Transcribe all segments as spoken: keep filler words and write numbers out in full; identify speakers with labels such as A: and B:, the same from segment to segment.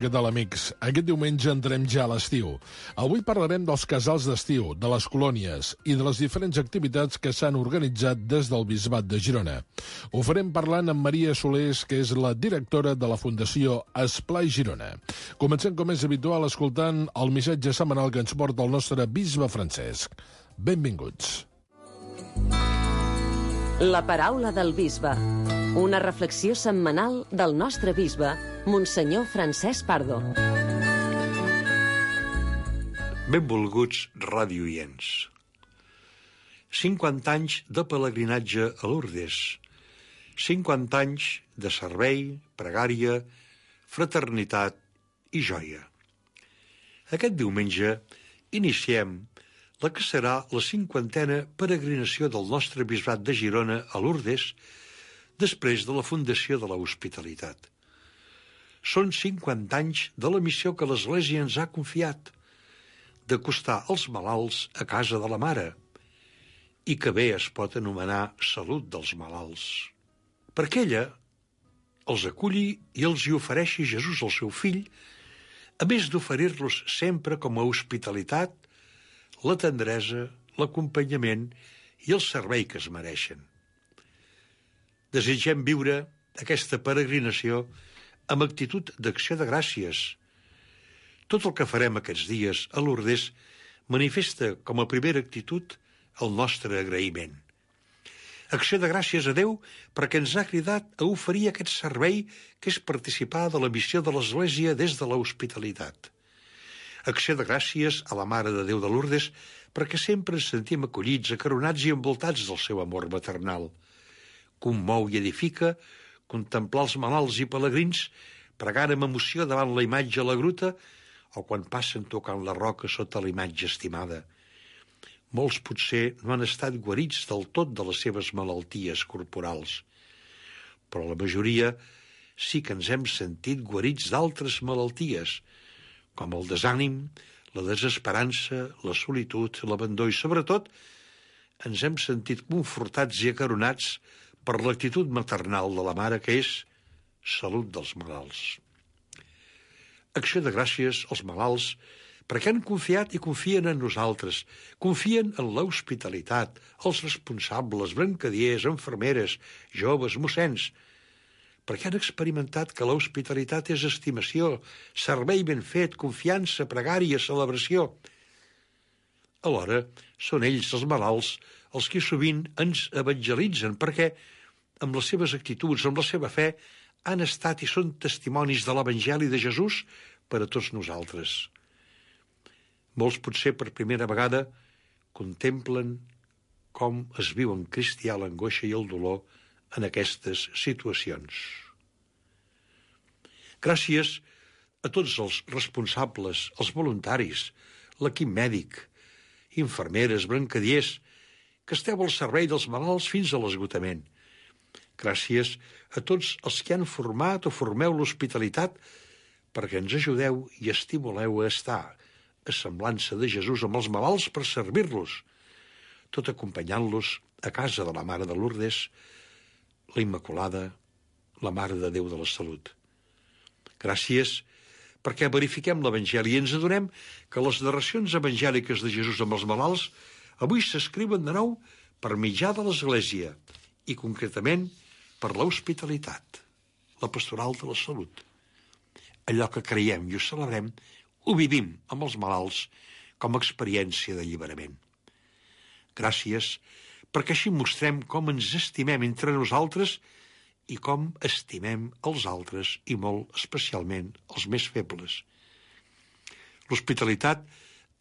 A: Què tal, amics? Aquest diumenge entrem ja a l'estiu. Avui parlarem dels casals d'estiu, de les colònies i de les diferents activitats que s'han organitzat des del Bisbat de Girona. Ho farem parlant amb Maria Solés, que és la directora de la Fundació Esplai Girona. Comencem, com és habitual, escoltant el missatge setmanal que ens porta el nostre bisbe Francesc. Benvinguts.
B: La paraula del bisbe. Una reflexió setmanal del nostre bisbe, Monsenyor Francesc Pardo.
C: Benvolguts radioients. cinquanta anys de pelegrinatge a Lourdes. cinquanta anys de servei, pregària, fraternitat i joia. Aquest diumenge iniciem la que serà la cinquantena peregrinació del nostre bisbat de Girona a Lourdes després de la fundació de l'Hospitalitat. Són cinquanta anys de la missió que l'Església ens ha confiat, d'acostar els malalts a casa de la Mare, i que bé es pot anomenar salut dels malalts. Perquè ella els aculli i els hi ofereixi Jesús, el seu fill, a més d'oferir-los sempre com a hospitalitat, la tendresa, l'acompanyament i el servei que es mereixen. Desitgem viure aquesta peregrinació amb actitud d'acció de gràcies. Tot el que farem aquests dies a Lourdes manifesta com a primera actitud el nostre agraïment. Acció de gràcies a Déu perquè ens ha cridat a oferir aquest servei que és participar de la missió de l'Església des de l'hospitalitat. Acció de gràcies a la Mare de Déu de Lourdes perquè sempre ens sentim acollits, acaronats i envoltats del seu amor maternal. Commou i edifica contemplar els malalts i pelegrins pregant amb emoció davant la imatge a la gruta o quan passen tocant la roca sota la imatge estimada. Molts potser no han estat guarits del tot de les seves malalties corporals, però la majoria sí que ens hem sentit guarits d'altres malalties, com el desànim, la desesperança, la solitud, l'abandó i, sobretot, ens hem sentit confortats i acaronats per l'actitud maternal de la Mare, que és salut dels malalts. Acció de gràcies als malalts perquè han confiat i confien en nosaltres, confien en l'hospitalitat, els responsables, brancadiers, infermeres, joves, mossens, perquè han experimentat que l'hospitalitat és estimació, servei ben fet, confiança, pregària, celebració. Alhora, són ells, els malalts, els que sovint ens evangelitzen, perquè, amb les seves actituds, amb la seva fe, han estat i són testimonis de l'Evangeli de Jesús per a tots nosaltres. Molts, potser per primera vegada, contemplen com es viu en cristià l'angoixa i el dolor en aquestes situacions. Gràcies a tots els responsables, els voluntaris, l'equip mèdic, infermeres, brancadiers, que esteu al servei dels malalts fins a l'esgotament. Gràcies a tots els que han format o formeu l'hospitalitat perquè ens ajudeu i estimuleu a estar a semblança de Jesús amb els malalts per servir-los, tot acompanyant-los a casa de la Mare de Lourdes, la Immaculada, la Mare de Déu de la Salut. Gràcies perquè verifiquem l'Evangeli i ens adonem que les narracions evangèliques de Jesús amb els malalts avui s'escriuen de nou per mitjà de l'Església i concretament per l'hospitalitat, la pastoral de la salut. Allò que creiem i ho celebrem ho vivim amb els malalts com a experiència d'alliberament. Gràcies perquè així mostrem com ens estimem entre nosaltres i com estimem els altres i molt especialment els més febles. L'hospitalitat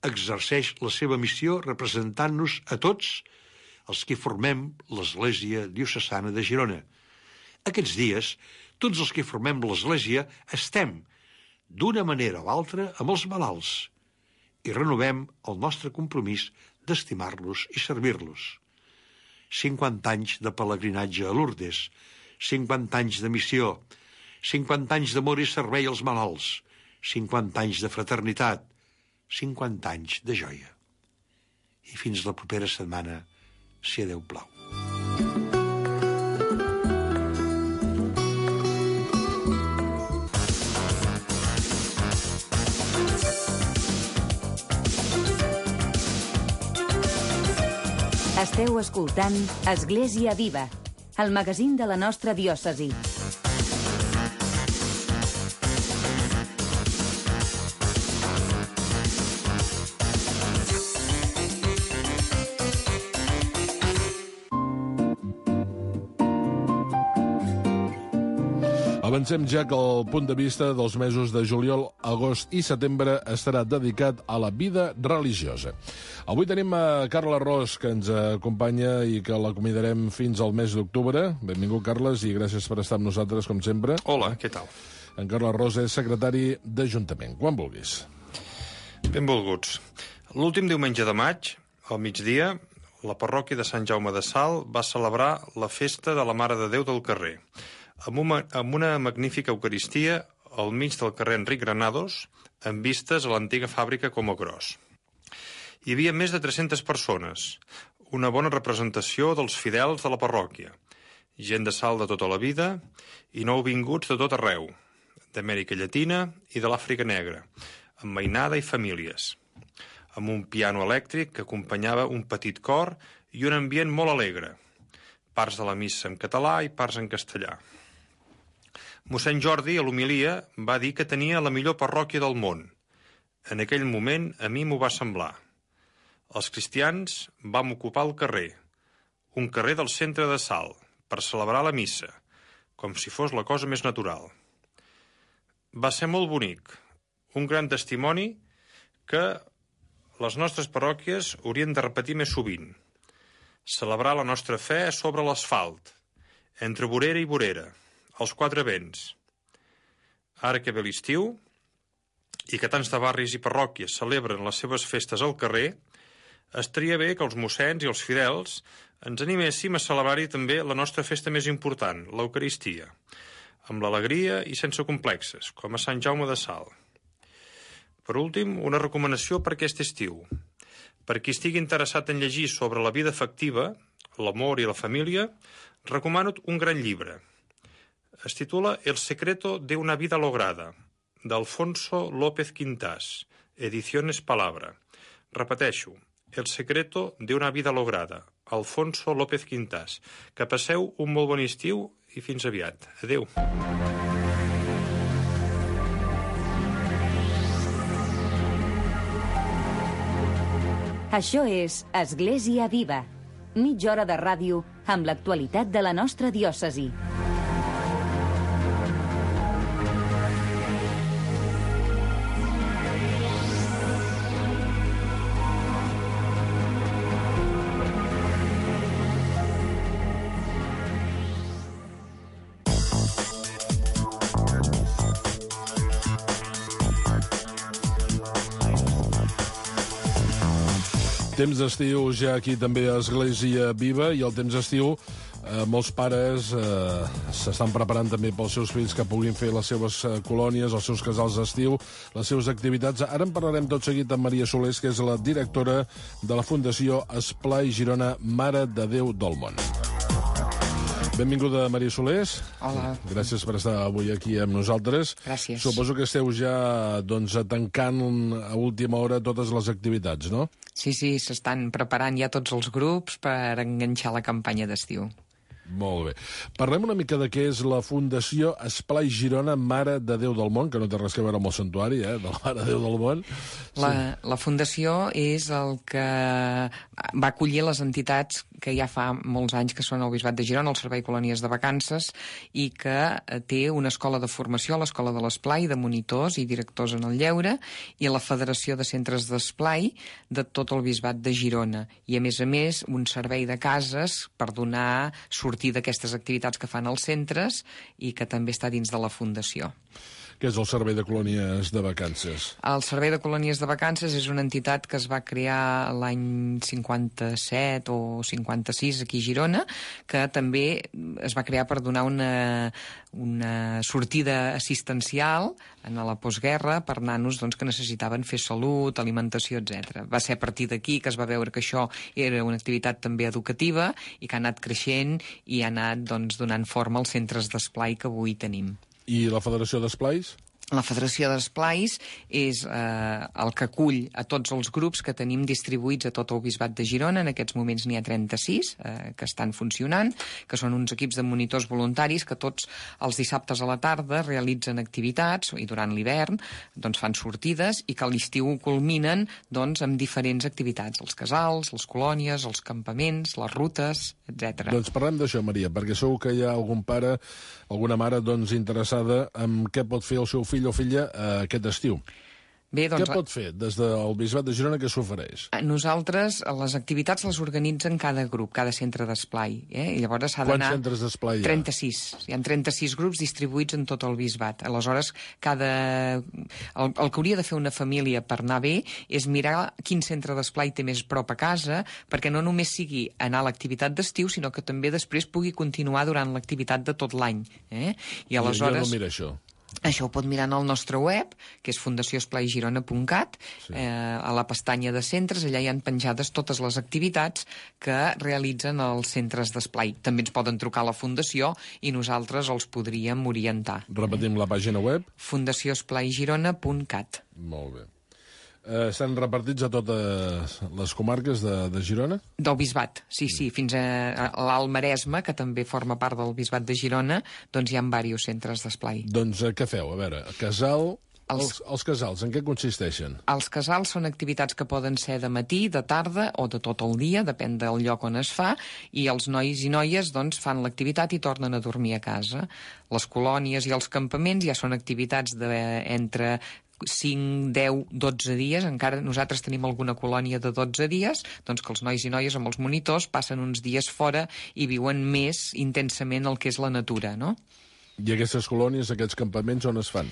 C: exerceix la seva missió representant-nos a tots els que formem l'Església Diocesana de Girona. Aquests dies, tots els que formem l'Església estem, d'una manera o altra, amb els malalts i renovem el nostre compromís d'estimar-los i servir-los. cinquanta anys de pelegrinatge a Lourdes, cinquanta anys de missió, cinquanta anys d'amor i servei als malalts, cinquanta anys de fraternitat, cinquanta anys de joia. I fins la propera setmana, si a Déu plau.
D: Esteu escoltant Església Viva, el magazín de la nostra diòcesi.
A: Avancem ja que el punt de vista dels mesos de juliol, agost i setembre estarà dedicat a la vida religiosa. Avui tenim a Carles Ros, que ens acompanya i que l'acomiadarem fins al mes d'octubre. Benvingut, Carles, i gràcies per estar amb nosaltres, com sempre.
E: Hola, què tal?
A: En Carles Ros és secretari d'Ajuntament. Quan vulguis.
E: Benvolguts. L'últim diumenge de maig, al migdia, la parròquia de Sant Jaume de Salt va celebrar la festa de la Mare de Déu del Carrer, amb una, amb una magnífica eucaristia al mig del carrer Enric Granados, amb vistes a l'antiga fàbrica Como Gros. Hi havia més de tres-centes persones, una bona representació dels fidels de la parròquia, gent de Salt de tota la vida i nouvinguts de tot arreu, d'Amèrica Llatina i de l'Àfrica Negra, amb mainada i famílies, amb un piano elèctric que acompanyava un petit cor i un ambient molt alegre, parts de la missa en català i parts en castellà. Mossèn Jordi, a l'homilia, va dir que tenia la millor parròquia del món. En aquell moment, a mi m'ho va semblar. Els cristians vam ocupar el carrer, un carrer del centre de Salt, per celebrar la missa, com si fos la cosa més natural. Va ser molt bonic, un gran testimoni que les nostres parròquies haurien de repetir més sovint. Celebrar la nostra fe sobre l'asfalt, entre vorera i vorera, als quatre vents. Ara que ve l'estiu, i que tants de barris i parròquies celebren les seves festes al carrer, estaria bé que els mossens i els fidels ens animéssim a celebrar-hi també la nostra festa més important, l'Eucaristia, amb l'alegria i sense complexes, com a Sant Jaume de Salt. Per últim, una recomanació per aquest estiu. Per qui estigui interessat en llegir sobre la vida afectiva, l'amor i la família, recomano un gran llibre. Es titula El secreto de una vida lograda, d'Alfonso López Quintás, Ediciones Palabra. Repeteixo, El secreto de una vida lograda, Alfonso López Quintás. Que passeu un molt bon estiu i fins aviat. Adéu.
D: Això és Església Viva, mitja hora de ràdio amb l'actualitat de la nostra diòcesi.
A: Temps d'estiu ja aquí també a Església Viva, i el temps d'estiu eh, molts pares eh, s'estan preparant també pels seus fills que puguin fer les seves eh, colònies, els seus casals d'estiu, les seves activitats. Ara en parlarem tot seguit amb Maria Solés, que és la directora de la Fundació Esplai Girona Mare de Déu del Món. Benvinguda, Maria Solés.
F: Hola.
A: Gràcies per estar avui aquí amb nosaltres.
F: Gràcies.
A: Suposo que esteu ja doncs, tancant a última hora totes les activitats, no?
F: Sí, sí, s'estan preparant ja tots els grups per enganxar la campanya d'estiu.
A: Molt bé. Parlem una mica de què és la Fundació Esplai Girona Mare de Déu del Món, que no té res a veure amb el santuari, eh, de la Mare de Déu del Món.
F: La, la Fundació és el que va acollir les entitats que ja fa molts anys que són el Bisbat de Girona, el Servei Colònies de Vacances, i que té una escola de formació, l'Escola de l'Esplai, de monitors i directors en el lleure, i la Federació de Centres d'Esplai de tot el Bisbat de Girona. I, a més a més, un servei de cases per donar sortir d'aquestes activitats que fan els centres i que també està dins de la Fundació.
A: Què és el Servei de Colònies de Vacances?
F: El Servei de Colònies de Vacances és una entitat que es va crear l'any cinquanta-set o cinquanta-sis aquí a Girona, que també es va crear per donar una, una sortida assistencial en la postguerra per nanos doncs, que necessitaven fer salut, alimentació, etcètera. Va ser a partir d'aquí que es va veure que això era una activitat també educativa i que ha anat creixent i ha anat doncs, donant forma als centres d'esplai que avui tenim.
A: I la Federació d'Esplais?
F: La Federació d'Esplais és eh, el que acull a tots els grups que tenim distribuïts a tot el Bisbat de Girona. En aquests moments n'hi ha trenta-sis eh, que estan funcionant, que són uns equips de monitors voluntaris que tots els dissabtes a la tarda realitzen activitats i durant l'hivern doncs, fan sortides i que a l'estiu culminen doncs, amb diferents activitats, els casals, les colònies, els campaments, les rutes, etcètera.
A: Doncs parlem d'això, Maria, perquè segur que hi ha algun pare, alguna mare doncs, interessada en què pot fer el seu fill o filla eh, aquest estiu.
F: Bé, doncs,
A: què pot fer des del Bisbat de Girona que s'ofereix?
F: Nosaltres, les activitats les organitzen cada grup, cada centre d'esplai. Eh? I llavors s'ha d'anar...
A: Quants centres d'esplai hi ha?
F: trenta-sis. Hi ha trenta-sis grups distribuïts en tot el Bisbat. Aleshores, cada... el, el que hauria de fer una família per anar bé és mirar quin centre d'esplai té més prop a casa, perquè no només sigui anar a l'activitat d'estiu, sinó que també després pugui continuar durant l'activitat de tot l'any. Eh? I aleshores...
A: Jo no mira això.
F: Això ho pot mirar en el nostre web, que és fundació esplai girona punt cat. Sí. Eh, a la pestanya de centres, allà hi han penjades totes les activitats que realitzen els centres d'esplai. També ens poden trucar a la fundació i nosaltres els podríem orientar.
A: Repetim la pàgina web.
F: fundació esplai girona punt cat.
A: Molt bé. Eh, estan repartits a totes les comarques de, de Girona?
F: Del Bisbat, sí, sí. Fins a, a l'Alt Maresme, que també forma part del Bisbat de Girona, doncs hi ha diversos centres d'esplai.
A: Doncs eh, què feu? A veure, casal... Els... Els, els casals, en què consisteixen?
F: Els casals són activitats que poden ser de matí, de tarda o de tot el dia, depèn del lloc on es fa, i els nois i noies doncs, fan l'activitat i tornen a dormir a casa. Les colònies i els campaments ja són activitats de, entre cinc, deu, dotze dies. Encara nosaltres tenim alguna colònia de dotze dies, doncs que els nois i noies amb els monitors passen uns dies fora i viuen més intensament el que és la natura, no?
A: I aquestes colònies, aquests campaments, on es fan?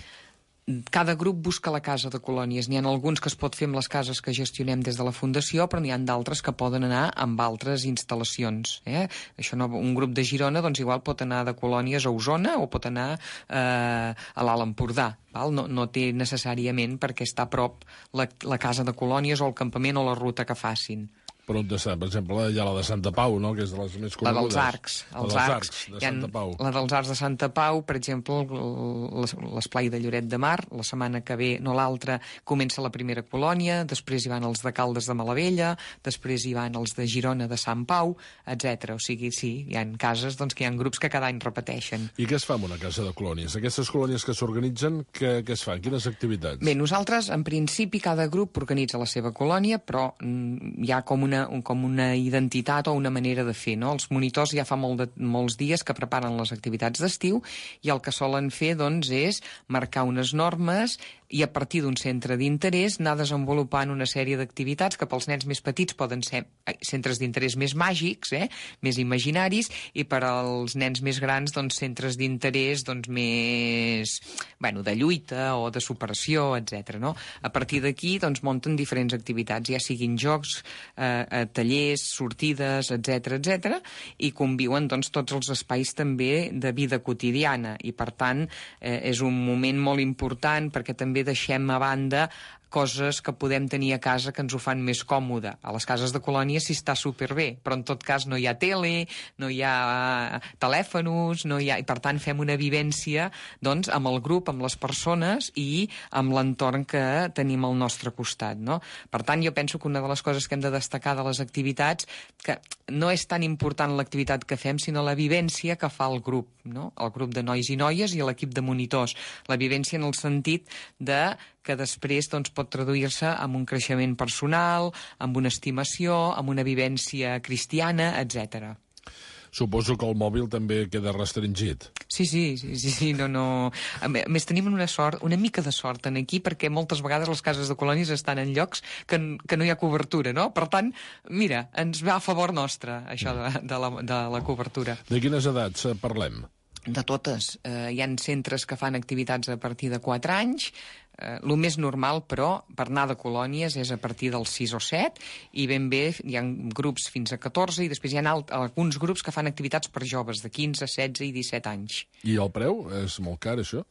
F: Cada grup busca la casa de colònies. N'hi ha alguns que es pot fer amb les cases que gestionem des de la Fundació, però n'hi ha d'altres que poden anar amb altres instal·lacions. Eh? Això no, un grup de Girona doncs, igual pot anar de colònies a Osona o pot anar eh, a l'Alt Empordà. Val? No, no té necessàriament perquè està a prop la, la casa de colònies o el campament o la ruta que facin.
A: Per on està? Per exemple, hi ha la de Santa Pau, no?, que és de les més conegudes.
F: La dels Arcs. Els
A: la dels
F: Arcs,
A: Arcs de Santa Pau.
F: La dels Arcs de Santa Pau, per exemple, l'esplai de Lloret de Mar, la setmana que ve, no l'altra, comença la primera colònia, després hi van els de Caldes de Malavella, després hi van els de Girona de Sant Pau, etcètera. O sigui, sí, hi ha cases doncs, que hi ha grups que cada any repeteixen.
A: I què es fa en una casa de colònies? Aquestes colònies que s'organitzen, què, què es fan? Quines activitats?
F: Bé, nosaltres, en principi, cada grup organitza la seva colònia, però mm, hi ha com una com una identitat o una manera de fer, no? Els monitors ja fa molt de, molts dies que preparen les activitats d'estiu i el que solen fer, doncs, és marcar unes normes i a partir d'un centre d'interès anar desenvolupant una sèrie d'activitats que pels nens més petits poden ser centres d'interès més màgics, eh? Més imaginaris, i per als nens més grans, doncs, centres d'interès doncs, més, bueno, de lluita o de superació, etcètera. No? A partir d'aquí, doncs, munten diferents activitats, ja siguin jocs, eh, tallers, sortides, etcètera, etcètera, i conviuen, doncs, tots els espais també de vida quotidiana, i per tant eh, és un moment molt important perquè també deixem a banda coses que podem tenir a casa que ens ho fan més còmode. A les cases de colònia sí està superbé, però en tot cas no hi ha tele, no hi ha telèfons, no hi ha... i per tant fem una vivència doncs, amb el grup, amb les persones i amb l'entorn que tenim al nostre costat. No? Per tant, jo penso que una de les coses que hem de destacar de les activitats, que no és tan important l'activitat que fem, sinó la vivència que fa el grup, no? El grup de nois i noies i l'equip de monitors. La vivència en el sentit de que després doncs, pot traduir-se en un creixement personal, amb una estimació, amb una vivència cristiana, etcètera.
A: Suposo que el mòbil també queda restringit.
F: Sí, sí, sí, sí, sí, no, no... A més, tenim una sort, una mica de sort en aquí, perquè moltes vegades les cases de colònies estan en llocs que, que no hi ha cobertura, no? Per tant, mira, ens va a favor nostre, això de, de, la, de la cobertura.
A: De quines edats parlem?
F: De totes. Eh, hi ha centres que fan activitats a partir de quatre anys. Eh, el més normal, però, per anar de colònies és a partir dels sis o set, i ben bé hi ha grups fins a catorze, i després hi ha alt, alguns grups que fan activitats per joves de quinze, setze i disset anys.
A: I el preu? És molt car, això?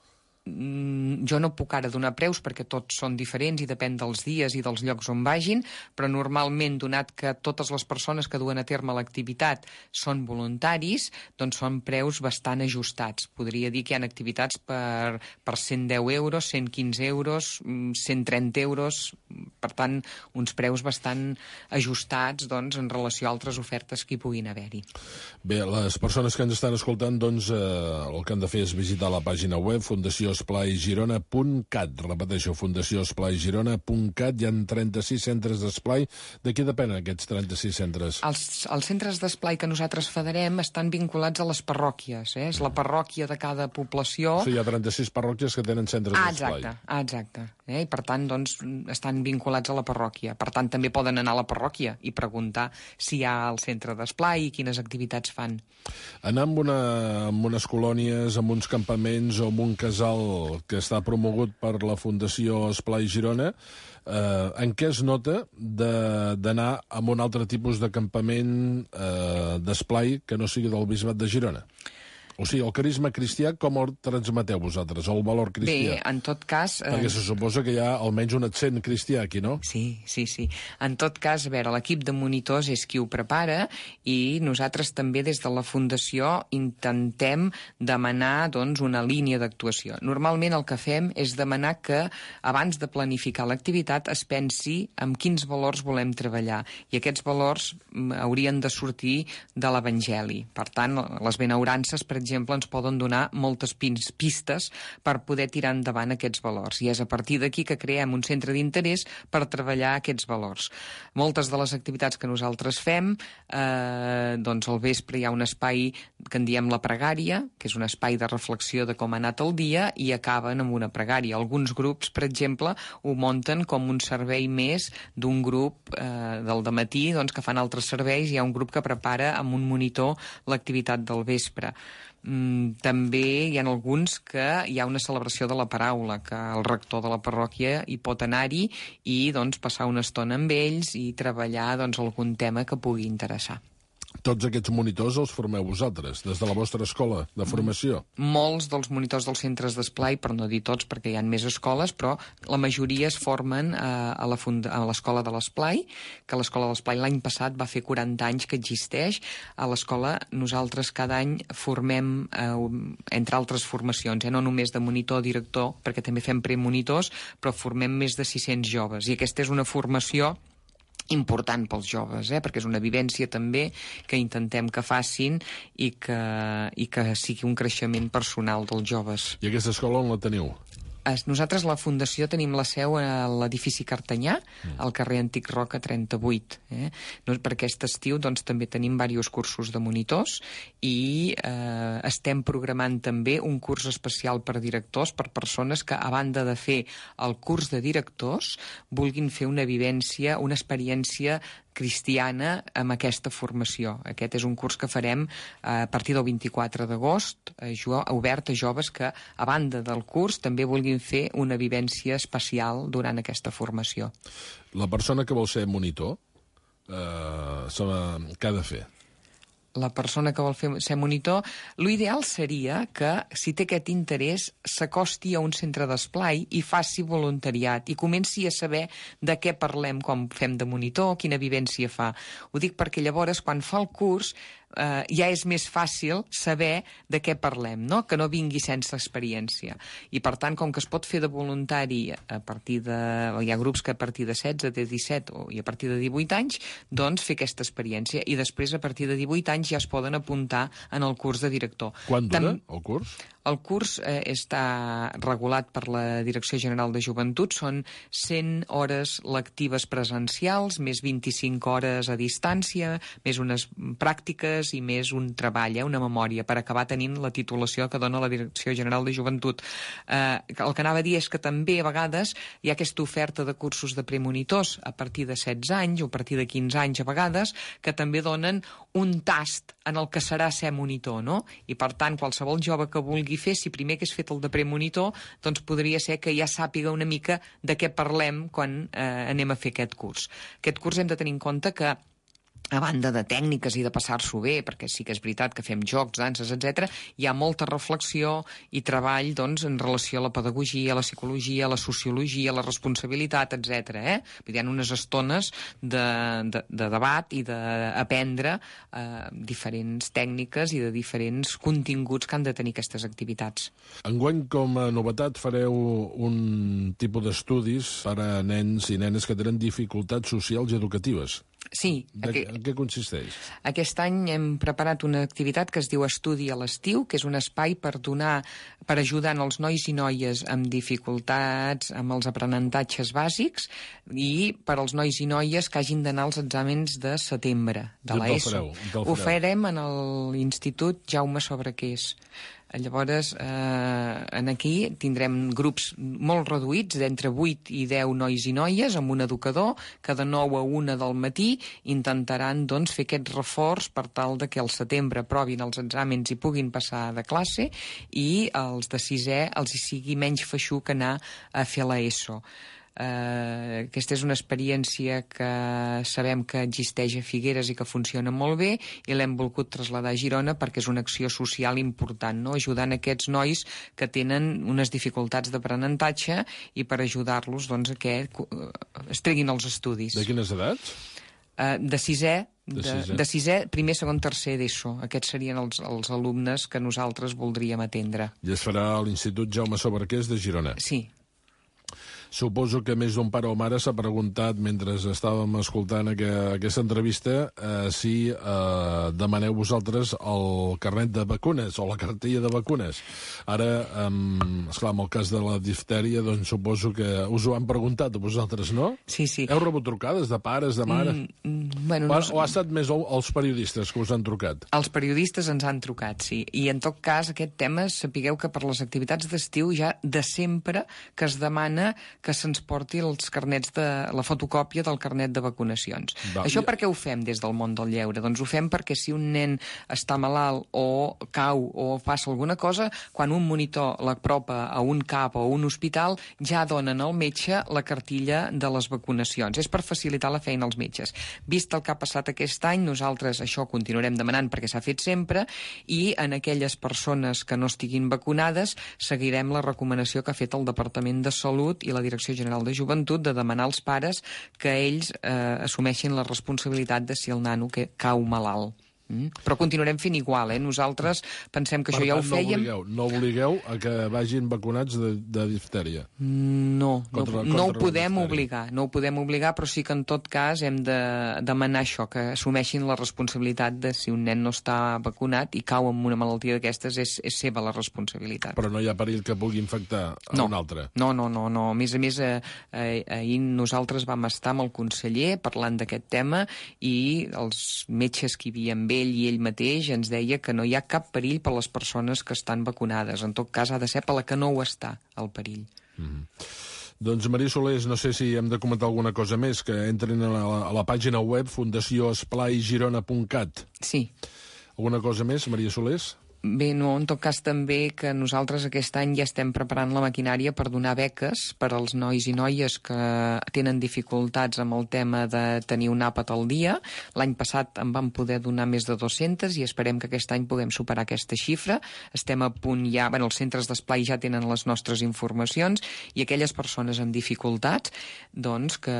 F: jo no puc ara donar preus perquè tots són diferents i depèn dels dies i dels llocs on vagin, però normalment, donat que totes les persones que duen a terme l'activitat són voluntaris, doncs són preus bastant ajustats. Podria dir que hi ha activitats per, per cent deu euros, cent quinze euros, cent trenta euros, per tant, uns preus bastant ajustats doncs, en relació a altres ofertes que hi puguin haver-hi.
A: Bé, les persones que ens estan escoltant, doncs, eh, el que han de fer és visitar la pàgina web fundació esplai girona punt cat. Repeteixo, fundació esplai girona punt cat. Hi ha trenta-sis centres d'esplai. De què depenen aquests trenta-sis centres?
F: Els, els centres d'esplai que nosaltres federem estan vinculats a les parròquies. Eh? És la parròquia de cada població.
A: O sigui, hi ha trenta-sis parròquies que tenen centres
F: ah,
A: d'esplai.
F: Exacte, ah, exacte. Eh? I per tant, doncs, estan vinculats a la parròquia. Per tant, també poden anar a la parròquia i preguntar si hi ha el centre d'esplai i quines activitats fan.
A: Anar amb, una, amb unes colònies, amb uns campaments o amb un casal que està promogut per la Fundació Esplai Girona, eh, en què es nota d'anar a un altre tipus de campament eh, d'esplai que no sigui del Bisbat de Girona? O sigui, el carisma cristià, com el transmeteu vosaltres, el valor cristià?
F: Bé, en tot cas...
A: Eh... Perquè se suposa que hi ha almenys un accent cristià aquí, no?
F: Sí, sí, sí. En tot cas, a veure, l'equip de monitors és qui ho prepara i nosaltres també des de la Fundació intentem demanar doncs, una línia d'actuació. Normalment el que fem és demanar que abans de planificar l'activitat es pensi en quins valors volem treballar i aquests valors haurien de sortir de l'Evangeli. Per tant, les benaurances, per exemple, ens poden donar moltes pistes per poder tirar endavant aquests valors. I és a partir d'aquí que creem un centre d'interès per treballar aquests valors. Moltes de les activitats que nosaltres fem, eh, doncs al vespre hi ha un espai que en diem la pregària, que és un espai de reflexió de com ha anat el dia, i acaben amb una pregària. Alguns grups, per exemple, ho munten com un servei més d'un grup eh, del dematí, doncs, que fan altres serveis. Hi ha un grup que prepara amb un monitor l'activitat del vespre. Mm, també hi ha alguns que hi ha una celebració de la paraula, que el rector de la parròquia hi pot anar-hi i doncs, passar una estona amb ells i treballar doncs, algun tema que pugui interessar.
A: Tots aquests monitors els formeu vosaltres, des de la vostra escola de formació?
F: Molts dels monitors dels centres d'esplai, per no dir tots perquè hi ha més escoles, però la majoria es formen eh, a l'escola de l'esplai, que l'escola de l'esplai l'any passat va fer quaranta anys que existeix. A l'escola nosaltres cada any formem, eh, entre altres formacions, eh, no només de monitor, director, perquè també fem premonitors, però formem més de sis-cents joves. I aquesta és una formació important pels joves, eh? Perquè és una vivència també que intentem que facin i que, i que sigui un creixement personal dels joves.
A: I aquesta escola on la teniu?
F: Nosaltres, la Fundació, tenim la seu a l'edifici Cartanyà, al carrer Antic Roca trenta-vuit. Eh? Per aquest estiu doncs, també tenim diversos cursos de monitors i eh, estem programant també un curs especial per directors, per persones que, a banda de fer el curs de directors, vulguin fer una vivència, una experiència cristiana amb aquesta formació. Aquest és un curs que farem a partir del vint-i-quatre d'agost, obert a joves que, a banda del curs, també vulguin fer una vivència especial durant aquesta formació.
A: La persona que vol ser monitor, eh, què ha de fer?
F: La persona que vol fer, ser monitor, l'ideal seria que, si té aquest interès, s'acosti a un centre d'esplai i faci voluntariat i comenci a saber de què parlem quan fem de monitor, quina vivència fa. Ho dic perquè llavors, quan fa el curs, eh, ja és més fàcil saber de què parlem, no? Que no vingui sense experiència. I, per tant, com que es pot fer de voluntari a partir de... Hi ha grups que a partir de setze, de disset o, i a partir de divuit anys, doncs fer aquesta experiència. I després, a partir de divuit anys, ja es poden apuntar en el curs de director.
A: Quan dura Tam... el curs?
F: El curs eh, està regulat per la Direcció General de Joventut. Són cent hores lectives presencials, més vint-i-cinc hores a distància, més unes pràctiques i més un treball, eh, una memòria, per acabar tenint la titulació que dona la Direcció General de Joventut. Eh, el que anava a dir és que també a vegades hi ha aquesta oferta de cursos de premonitors a partir de setze anys o a partir de quinze anys a vegades, que també donen un tast en el que serà ser monitor, no? I per tant, qualsevol jove que vulgui fer, si primer que és fet el de premonitor, doncs podria ser que ja sàpiga una mica de què parlem quan eh, anem a fer aquest curs. Aquest curs hem de tenir en compte que a banda de tècniques i de passar-s'ho bé, perquè sí que és veritat que fem jocs, danses, etcètera, hi ha molta reflexió i treball doncs, en relació a la pedagogia, a la psicologia, a la sociologia, a la responsabilitat, etcètera. Eh? Hi ha unes estones de, de, de debat i d'aprendre eh, diferents tècniques i de diferents continguts que han de tenir aquestes activitats.
A: Enguany, com a novetat, fareu un tipus d'estudis per a nens i nenes que tenen dificultats socials i educatives.
F: Sí.
A: De,
F: aquest,
A: en què consisteix?
F: Aquest any hem preparat una activitat que es diu Estudi a l'estiu, que és un espai per donar, per ajudar els nois i noies amb dificultats, amb els aprenentatges bàsics i per als nois i noies que hagin d'anar als exàmens de setembre, de l'ESO. Ho farem en l'Institut Jaume Sobrequés. Llavors, eh, en aquí tindrem grups molt reduïts, d'entre vuit i deu nois i noies, amb un educador, que de nou a una del matí intentaran doncs, fer aquest reforç per tal de que al setembre aprovin els exàmens i puguin passar de classe i els de sisè els hi sigui menys feixuc anar a fer l'ESO. Uh, aquesta és una experiència que sabem que existeix a Figueres i que funciona molt bé i l'hem volgut traslladar a Girona perquè és una acció social important, no? Ajudant aquests nois que tenen unes dificultats d'aprenentatge i per ajudar-los doncs, a que uh, es treguin els estudis.
A: De quines edats?
F: Uh, de sisè,
A: de,
F: de,
A: sisè.
F: de sisè, primer, segon, tercer d'ESO. Aquests serien els, els alumnes que nosaltres voldríem atendre.
A: I es farà a l'Institut Jaume Sobrequés de Girona.
F: Sí.
A: Suposo que més d'un pare o mare s'ha preguntat, mentre estàvem escoltant aqu aquesta entrevista, eh, si eh, demaneu vosaltres el carnet de vacunes o la cartella de vacunes. Ara, eh, esclar, en el cas de la diftèria, doncs suposo que us ho han preguntat a vosaltres, no?
F: Sí, sí.
A: Heu rebut trucades de pares, de mare?
F: Mm, mm, bueno,
A: o,
F: no...
A: o ha estat més els periodistes que us han trucat?
F: Els periodistes ens han trucat, sí. I en tot cas, aquest tema, sapigueu que per les activitats d'estiu ja de sempre que es demana que se'ns porti els carnets de la fotocòpia del carnet de vacunacions. Va, Això per què ho fem des del món del lleure? Doncs ho fem perquè si un nen està malalt o cau o passa alguna cosa, quan un monitor l'apropa a un cap o a un hospital, ja donen al metge la cartilla de les vacunacions. És per facilitar la feina als metges. Vist el que ha passat aquest any, nosaltres això continuarem demanant perquè s'ha fet sempre i en aquelles persones que no estiguin vacunades seguirem la recomanació que ha fet el Departament de Salut i la Direcció General de Joventut de demanar als pares que ells eh, assumeixin la responsabilitat de si el nano que cau malalt. Mm? Però continuarem fent igual, eh? Nosaltres pensem que
A: per
F: això ja
A: tant,
F: ho fèiem...
A: No obligueu, no obligueu a que vagin vacunats de, de diftèria.
F: No,
A: contra,
F: no, no ho podem
A: diftèria.
F: obligar, no ho podem obligar, però sí que en tot cas hem de demanar això, que assumeixin la responsabilitat de si un nen no està vacunat i cau amb una malaltia d'aquestes, és, és seva la responsabilitat.
A: Però no hi ha perill que pugui infectar a
F: no.
A: un altre?
F: No, no, no, no. A més a més, eh, eh, ahir nosaltres vam estar amb el conseller parlant d'aquest tema i els metges que hi havia amb ell i ell mateix ens deia que no hi ha cap perill per a les persones que estan vacunades. En tot cas, ha de ser per la que no ho està, el perill.
A: Mm-hmm. Doncs, Maria Solés, no sé si hem de comentar alguna cosa més, que entrin a la, a la pàgina web fundació esplai girona punt cat.
F: Sí.
A: Alguna cosa més, Maria Solés?
F: Bé, no, en tot cas també que nosaltres aquest any ja estem preparant la maquinària per donar beques per als nois i noies que tenen dificultats amb el tema de tenir un àpat al dia. L'any passat en vam poder donar més de dues-centes i esperem que aquest any puguem superar aquesta xifra. Estem a punt ja... Bueno, els centres d'esplai ja tenen les nostres informacions i aquelles persones amb dificultats doncs que,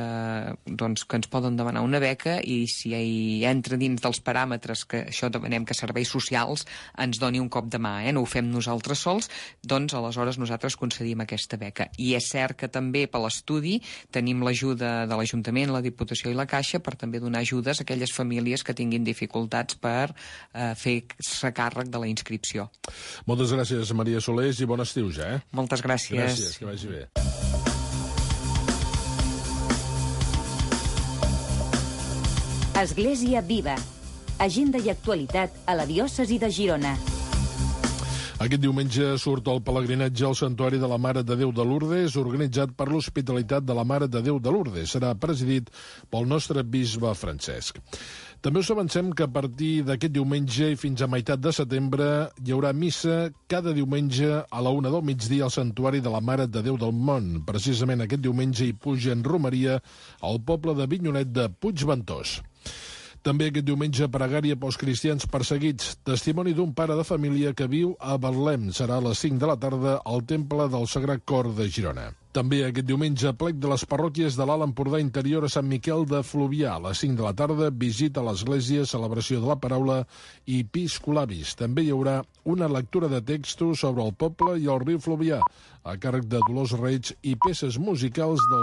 F: doncs que ens poden demanar una beca i si hi entra dins dels paràmetres que això demanem que serveis socials ens doni un cop de mà, eh? No ho fem nosaltres sols, doncs aleshores nosaltres concedim aquesta beca. I és cert que també per l'estudi tenim l'ajuda de l'Ajuntament, la Diputació i la Caixa per també donar ajudes a aquelles famílies que tinguin dificultats per eh, fer-se càrrec de la inscripció.
A: Moltes gràcies, Maria Solés, i bon estiu ja, eh?
F: Moltes gràcies.
A: Gràcies, que vagi bé.
D: Església Viva. Agenda i actualitat a la diòcesi de Girona.
A: Aquest diumenge surt el pelegrinatge al Santuari de la Mare de Déu de Lourdes, organitzat per l'Hospitalitat de la Mare de Déu de Lourdes. Serà presidit pel nostre bisbe Francesc. També us avancem que a partir d'aquest diumenge i fins a meitat de setembre hi haurà missa cada diumenge a la una del migdia al Santuari de la Mare de Déu del Mont. Precisament aquest diumenge hi puja en romeria al poble de Vinyonet de Puigventós. També aquest diumenge pregària pels cristians perseguits. Testimoni d'un pare de família que viu a Betlem. Serà a les cinc de la tarda al Temple del Sagrat Cor de Girona. També aquest diumenge, plec de les parròquies de l'Alt Empordà Interior a Sant Miquel de Fluvià. A les cinc de la tarda, visita a l'església, celebració de la paraula i piscolabis. També hi haurà una lectura de textos sobre el poble i el riu Fluvià, a càrrec de Dolors Reig i peces musicals del